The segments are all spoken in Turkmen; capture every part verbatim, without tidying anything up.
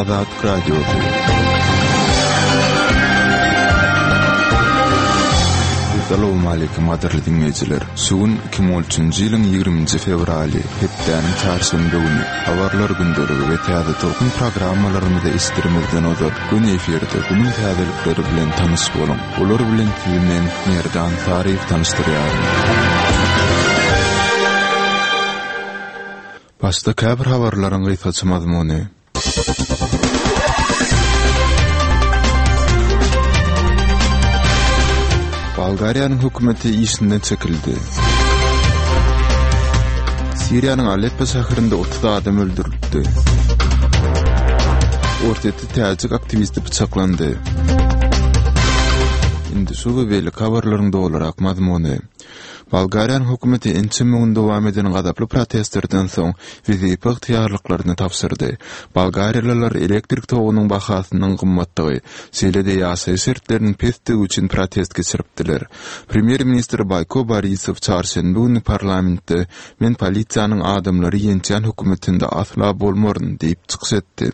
Azatlyk Radiosy. Salowmaleýkim gadyrly diňleýjiler! Şu gün iki müň on üçünji ýylyň ýigriminji fewraly, hepdäniň çarşenbe güni. Habarlar gündeligi we Täze Tolkun programmalarymyzy eşitdirimizden ozal, göni efirde günüň täzelikleri bilen tanyş boluň. Olar bilen sizi men, Merdan Saryýew tanyşdyrýaryn. Başda käbir habarlaryň gysgaça mazmuny. Bolgariýanyň hökümeti işinden çekildi. Siriýanyň Aleppo şäherinde otuz adam öldürildi. Orsýetde täjik aktiwisti pyçaklandy. Indi şu we beýleki habarlaryň dolurak mazmuny. Bolgariýanyň hökümeti ençeme gün dowam eden gazaply protestlerden soň wezipe ygtyýarlyklaryny tabşyrdy. Bolgariýalylar elektrik togunyň bahasynyň gymmatdygy, şeýle-de ýaşaýyş şertleriniň pesdigi üçin protest geçiripdiler. Premýer-ministr Boýko Borisow çarşenbe güni parlamentde Men polisiýanyň adamlary ýençýän hökümetinde asla bolmaryn diýip çykyş etdi.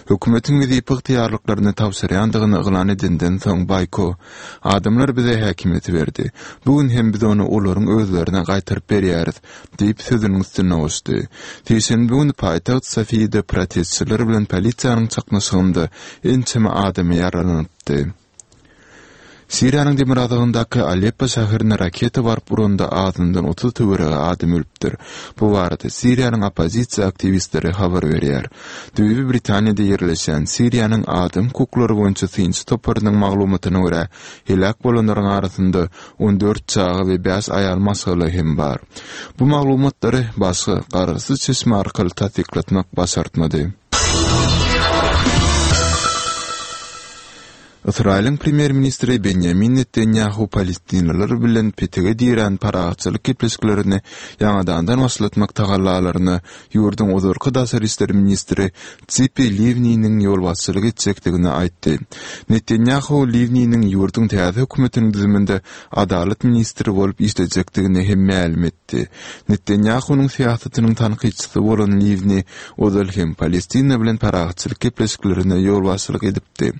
Hökümetiň wezipe ygtyýarlyklaryny tabşyrýandygyny yglan edenden soň Boýko, Adamlar bize häkimiýeti berdi. Bu gün hem biz ony olaryň özlerine gaýtaryp berýäris, diýip, sözüniň üstüne goşdy. Sişenbe güni paýtagt Sofiýada protestçiler bilen polisiýanyň çaknyşygynda ençeme adam ýaralanypdy. Siriýanyň demirgazygyndaky Aleppo şäherine raketa baryp uranda azyndan otuz töweregi adam ölüpdir. Bu barada Siriýanyň oppozisiýa aktiwistleri habar berýär. Düýbi Britaniýada ýerleşýän Siriýanyň adam hukuklary boýunça synçy toparynyň maglumatyna görä, heläk bolanlaryň arasynda on dört çaga we bäş aýal maşgala hem bar. Bu maglumatlary başga garaşsyz çeşme arkaly tassyklatmak başartmady. Ysraýylyň premýer-ministri Benýamin Netanýahu palestinliler bilen petige dirän parahatçylyk gepleşiklerini ýaňadandan başlatmak tagallalaryna ýurduň ozalky daşary işler ministri Tzipi Liwniniň ýolbaşçylyk etjekdigini aýtdy. Netanýahu Liwniniň ýurduň täze hökümetiniň düzüminde adalat ministri bolup işlejekdigini hem mälim etdi. Netanýahunyň syýasatynyň tankytçysy bolan Liwni ozal hem Palestina bilen parahatçylyk gepleşiklerine ýolbaşçylyk edipdi.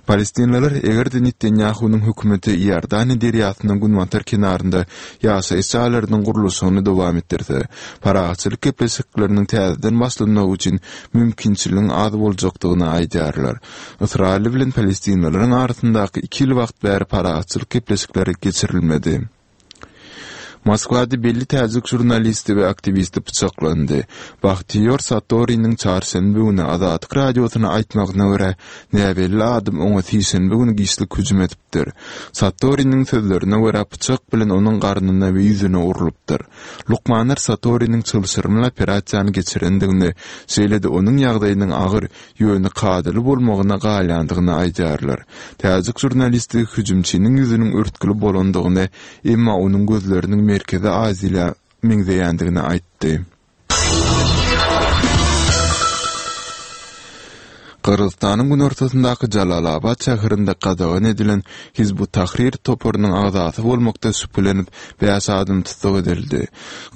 Palestinliler eger-de Netanýahunyň hökümeti Iordaniýa derýasynyň günbatar kenarynda ýaşaýyş jaýlarynyň gurluşygyny dowam etdirse, parahatçylyk gepleşikleriniň täzeden başlanmagy üçin mümkinçiligiň az boljakdygyny aýdýarlar. Ysraýyl bilen palestinlileriň arasyndaky iki ýyl wagt bäri parahatçylyk gepleşikleri geçirilmedi. Moskwada belli täjik žurnalisti we aktiwisti pyçaklandy. Bahtiýor Satoriniň çarşenbe güni Azatlyk Radiosyna aýtmagyna görä, näbelli adam oňa sişenbe güni giçlik hüjüm edipdir. Satoriniň sözlerine görä, pyçak bilen onuň garnyna we ýüzüne urlupdyr. Lukmanlar Satoriniň çylşyrymly operasiýany geçirendigini, şeýle-de onuň ýagdaýynyň agyr, ýöne kadaly bolmagyna galýandygyny aýdýarlar. Täjik žurnalisti hüjümçiniň ýüzüniň örtgüli bolandygyny, emma onuň gözleriniň Merkezi Aziýa meňzeýändigini aýtdy. Gyrgyzystanyň günortasyndaky Jalalabat şäherinde gadagan edilen Hizb ut-Tahrir toparynyň agzasy bolmakda şübhelenip, bäş adam tussag edildi.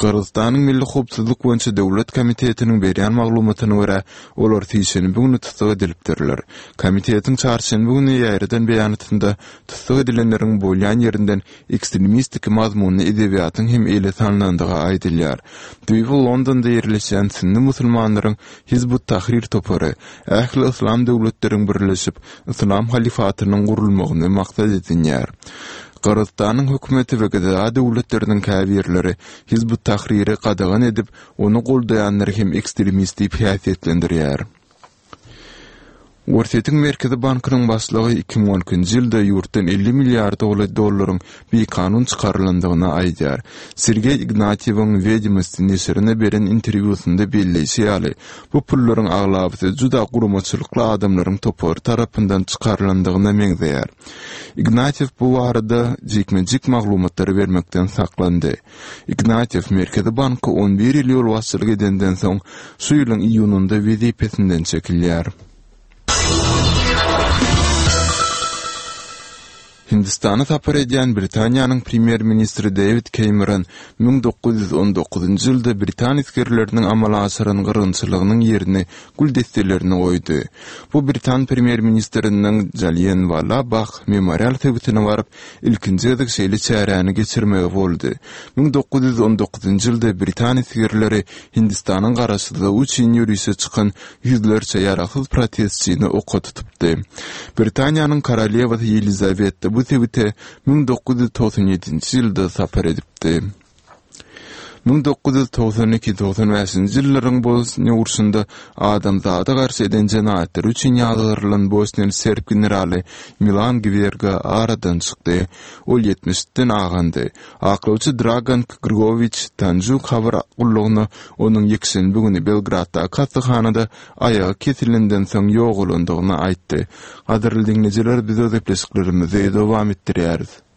Gyrgyzystanyň Milli howpsuzlyk boýunça döwlet komitetiniň berýän maglumatyna görä, olar sişenbe güni tussag edilipdirler. Komitetiň çarşenbe güni ýaýradan beýanatynda tussag edilenleriň bolýan ýerinden ekstremistik mazmunly edebiýatyň hem ele salnandygy aýdylýar. Düýbi Londonda ýerleşýän sünni musulmanlaryň Hizb ut-Tahrir topary ähli yslam döwletleriň birleşip, yslam halyfatynyň gurulmagyny maksat edinýär. Gyrgyzystanyň hökümeti we GDA döwletleriniň käbirleri Hizb ut-Tahriri gadagan edip, ony goldaýanlary hem ekstremist diýip häsiýetlendirýär. Orsýetiň Merkezi bankynyň başlygy iki müň on ikinji ýylda ýurtdan elli milliard dollaryň bikanun çykarylandygyny aýdýar. Sergeý Ignatýewiň Wedomosti neşirine beren interwýusynda belleýşi ýaly, bu pullaryň aglabasy juda guramaçylykly adamlaryň topary tarapyndan çykarylandygyna meňzeýär. Ignatýew bu barada jikme-jik maglumatlary bermekden saklandy. Ignatýew Merkezi banka on bir ýyl ýolbaşçylyk edenden soň, şu ýylyň iýunynda wezipesinden çekilýär. Hindistana sapar edýän Britaniýanyň premýer-ministri Dewid Kemeron müň dokuz ýüz on dokuzynjy ýylda britan esgerleriniň amala aşyran gyrgynçylygynyň ýerine gül desselerini goýdy. Bu britan premýer-ministriniň Jallianwala Bagh memorial sebitine baryp, ilkinji gezek şeýle çäräni geçirmegi boldy. Müň dokuz ýüz on dokuzynjy ýylda britan esgerleri Hindistanyň garaşsyzlygy üçin ýörişe çykan ýüzlerçe ýaragsyz protestçini oka tutupdy. Britaniýanyň korolewasy Ýelizaweta bu sebite müň dokuz ýüz togsan ýedinji ýylda sapar edipdi. Müň dokuz ýüz togsan iki togsan bäşinji ýyllaryň Bosniýa urşunda adamzada garşy eden jenaýatlary üçin ýazgarylan bosniýaly serb generaly Milan Gwerga aradan çykdy. Ol ýetmişden agandy. Aklawçy Dragan Grgowiç Tanjuk habar gullugyna onuň ýekşenbe güni Belgraddaky hassahanada aýagy kesilenden soň ýogalandygyny aýtdy. Gadyrly diňleýjiler, biz öz gepleşiklerimizi dowam etdirýäris.